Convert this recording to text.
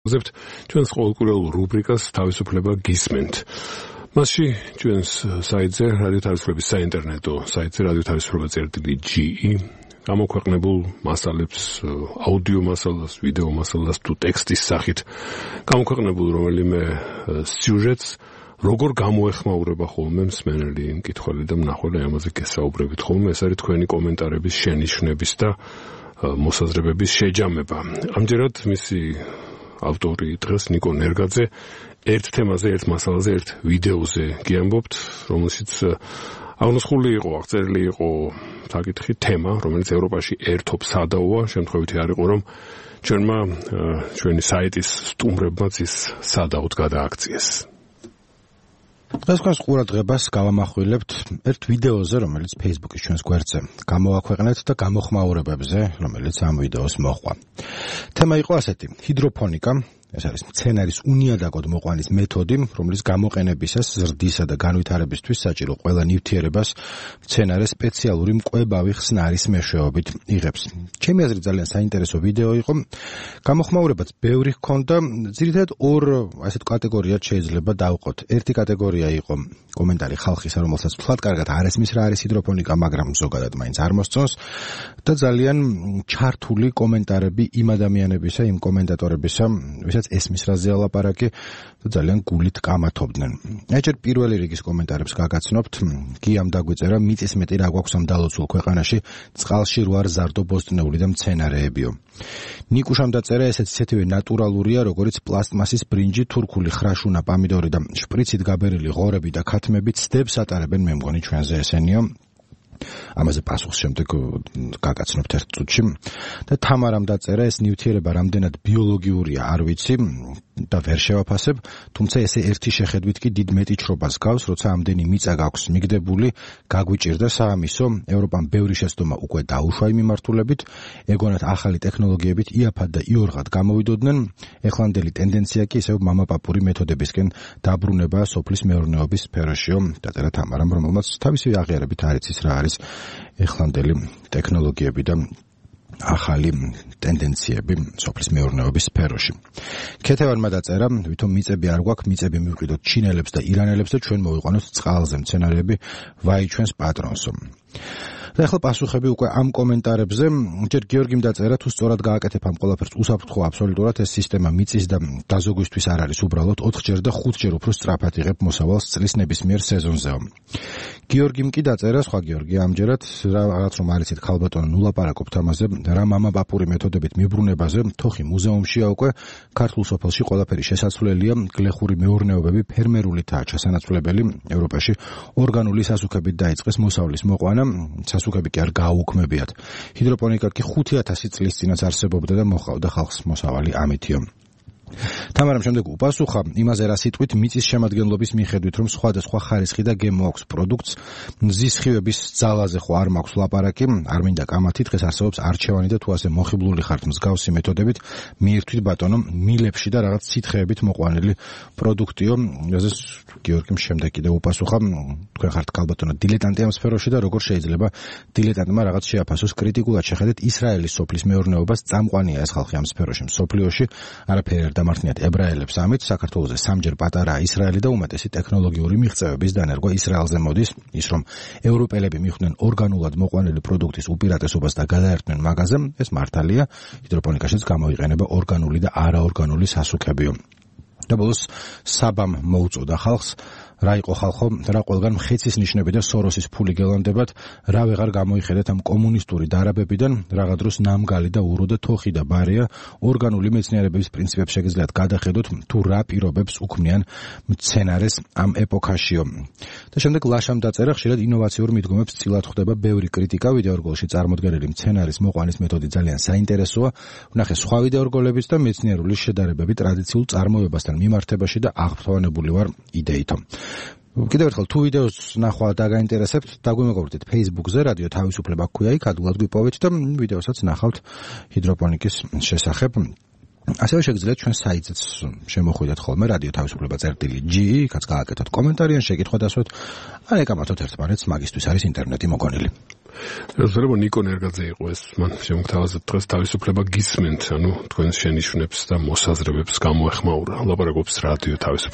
ზებთ ჩვენს ყოველკვირეულ რუბრიკას თავისუფლება გისმენთ. მასში ჩვენს საიტზე რადიო თავისუფლების საინტერნეტო საიტზე radioთავისუფლება.ge გამოქვეყნებულ მასალებს, აუდიო მასალას, ვიდეო მასალას თუ ტექსტის სახით გამოქვეყნებულ რომელიმე სიუჟეტს როგორ გამოეხმაურება ხოლმე მსმენელი, მკითხველი და მნახველი ამაზე გესაუბრებით ხოლმე. ეს არის თქვენი კომენტარების შენიშვნების და მოსაზრებების შეჯამება. ამჯერად მისი ავტორი დღეს ნიკო ნერგაძე ერთ თემაზე, ერთ მასალაზე, ერთ ვიდეოზე გიამბობთ, რომელშიც აღნოსხული იყო, აღწერილი იყო საკითხი თემა, რომელიც ევროპაში ერთობ სადაოა, შემთხვევითი არ იყო, რომ ჩვენი საიტის სტუმრებმაც ის სადაოდ გადააქციეს. დღეს თქვენს ყურადღებას გავამახვილებთ ერთ ვიდეოზე, რომელიც Facebook-ის ჩვენს გვერდზე გამოვაქვეყნეთ და გამოხმაურებებზე, რომელიც ამ ვიდეოს მოჰყვა. თემა იყო ასეთი: ჰიდროფონიკა. ეს არის მცენარის უნიადაგოდ მოყვანის მეთოდი, რომლის გამოყენებისას ზრდისა და განვითარებისთვის საჭირო ყველა ნივთიერებას მცენარე სპეციალური მკვებავი ხსნარის მეშვეობით იღებს. ჩემი აზრით ძალიან საინტერესო ვიდეო იყო. გამოხმაურებაც ბევრი ჰქონდა, ძირითადად ორ ასეთ კატეგორიად შეიძლება დავყოთ. ერთი კატეგორია იყო კომენტარი ხალხისა, რომელსაც თვალად კარგად არ ესმის რა არის ჰიდროფონიკა, მაგრამ ზოგადად მაინც არ მოსწონს და ძალიან ჩართული კომენტარები იმ ადამიანებისა, იმ კომენტატორებისა, ვისაც ესმის რაზეა ლაპარაკი და ძალიან გულით კამათობდნენ. ეჭერ პირველი რიგის კომენტარებს გაგაცნობთ. გიამ დაგვიწერა: მიწის მეტი რა გვაქვს ამ დალოცულ ქვეყანაში, წყალში რო არ ზარდო ბოსტნეული და მცენარეებიო. ნიკუშამ დაწერა: ესეც ისეთივე ნატურალურია, როგორიც პლასტმასის ბრინჯი, თურქული ხრაშუნა, პამიდორი და შპრიცით გაბერილი ღორები და ქათმები ცდებს ატარებენ, მე მგონი ჩვენზე ესენიო. ამაზე პასუხს შემდეგ გაგაცნობთ ერთ წუთში. და თამარამ დაწერა: ეს ნივთიერება რამდენად ბიოლოგიურია არ ვიცი და ვერ შევაფასებ, თუმცა ესე ერთი შეხედვით კი დიდ მეტიჩრობას გავს, როცა ამდენი მიწა გაქვს მიგდებული, გაგვიჭირდა საამისო, ევროპამ ბევრი შეცდომა უკვე დაუშვა იმ მიმართულებით, ეგონათ ახალი ტექნოლოგიებით იაფად და იორღად გამოვიდოდნენ, ეხლანდელი ტენდენცია კი ისევ მამაპაპური მეთოდებისკენ დაბრუნება სოფლის მეურნეობის სფეროშიო, დაწერა თამარამ, რომელმაც თავისი აღიარებით არ იცის რა არის ეხლანდელი ტექნოლოგიები და ახალი ტენდენციები სოფლის მეურნეობის სფეროში. ქეთევანმა დაწერა: ვითომ მიწები არ გვაქვს, მიწები მივყიდოთ ჩინელებს და ირანელებს და ჩვენ მოვიყვანოთ წყალზე მცენარეები, ვაი ჩვენს პატრონსო. და ახლა პასუხები უკვე ამ კომენტარებზე. ჯერ გიორგიმ დაწერა: თუ სწორად გააკეთებ ამ ყველაფერს უსაფრთხო აბსოლუტურად, ეს სისტემა მიწის და დაზოგვისთვის არ არის, უბრალოდ 4-ჯერ და 5-ჯერ უფრო სწრაფად იღებ მოსავალს წლის ნებისმიერ სეზონზეო. გიორგიმ კი დაწერა, სხვა გიორგი, ამჯერად რაღაც რომ არიცით ქალბატონო, ნუ ლაპარაკობთ ამაზე, რა მამაპაპური მეთოდებით მიბრუნებაზე, თოხი მუზეუმშია უკვე, ქართულ სოფელში ყველაფერი შესაძლებელია, გლეხური მეურნეობები ფერმერულითაა ჩასანაცვლებელი, ევროპაში ორგანული სასუქებით დაიწყეს მოსავლის მოყვანა, სასუქები კი არ გააუქმებიათ. ჰიდროპონიკა კი 5000 წლის წინაც არსებობდა და მოჰყავდა ხალხს მოსავალი ამითიო. თამარამ შემდეგ უპასუხა იმაზე, რა სიტყვით მიწის შემადგენლობის მიხედვით, რომ სხვადასხვა ხარისხი და გემო აქვს პროდუქტს, მზის ხივების ძალაზე ხო არ მაქვს ლაპარაკი, არ მინდა კამათი, დღეს არსებობს არჩევანი და თუ ასე მოხიბლული ხართ მსგავსი მეთოდებით, მიირთვით ბატონო, მილებში და რაღაც სითხეებით მოყვანილი პროდუქტიო. ესეც გიორგიმ შემდეგ კიდევ უპასუხა: თქვენ ხართ ქალბატონო დილეტანტი ამ სფეროში და როგორ შეიძლება დილეტანტმა რაღაც შეაფასოს კრიტიკულად შეხედეთ ისრაელის სოფლის მეურნეობას, წამყვანია ეს ხალხი ამ სფეროში მსოფლიოში, არაფერი არ დამართნიათ ებრაელებს ამით, საქართველოზე სამჯერ პატარაა ისრაელი და უმეტესი ტექნოლოგიური მიღწევების დანერგვა ისრაელზე მოდის, ის რომ ევროპელები მიხვდნენ ორგანულად მოყვანილი პროდუქტის უპირატესობას და გადაერთნენ მაგაზე, ეს მართალია, ჰიდროპონიკაშიც გამოიყენება ორგანული და არაორგანული სასუქებიო. და ბოლოს საბამ მოუწოდა ხალხს, რა იყო ხალხო, რა ყველგან მხეცის ნიშნები და სოროსის ფული გელონდებათ, რა ვეღარ გამოიხედეთ ამ კომუნისტური დარაბებიდან, რაღა დროს ნამგალი და ურო და თოხი და ბარია, ორგანული მეცნიერებების პრინციპებს შეგიძლიათ გადახედოთ, თუ რა პირობებს უქმნიან მცენარეს ამ ეპოქაშიო. და შემდეგ ლაშამ დაწერა: ხშირად ინოვაციურ მიდგომებს წილად ხვდება ბევრი კრიტიკა, ვიდეორგოლში წარმოდგენილი მცენარის მოყვანის მეთოდი ძალიან საინტერესოა, ვნახე სხვა ვიდეორგოლებიც და მეცნიერული შედარებები ტრადიციულ წარმოებასთან მიმართებაში და აღფრთოვანებული ვარ იდეითო. კიდევ ერთხელ თუ ვიდეოს ნახვა დაგაინტერესებთ, დაგვიმეგობრდეთ Facebook-ზე, რადიო თავისუფლება ქვია, იქ ადვილად გვიპოვეთ და ვიდეოსაც ნახავთ ჰიდროპონიკის შესახებ. ასევე შეგიძლიათ ჩვენ საიტზეც შემოხვიდეთ ხოლმე რადიო თავისუფლება.ge, იქაც გააკეთოთ კომენტარი ან შეკითხვა დასვათ, ან ეკამათოთ ერთმანეთს, მაგისთვის არის ინტერნეტი მოგონილი. შეიძლება ნიკო ნერგაძე იყო ეს, მან შემოგთავაზა დღეს თავისუფლება გისმენთ, ანუ თქვენს შენიშვნებს და მოსაზრებებს გამოეხმაურა. ლაპარაკობს რადიო თავისუფლება.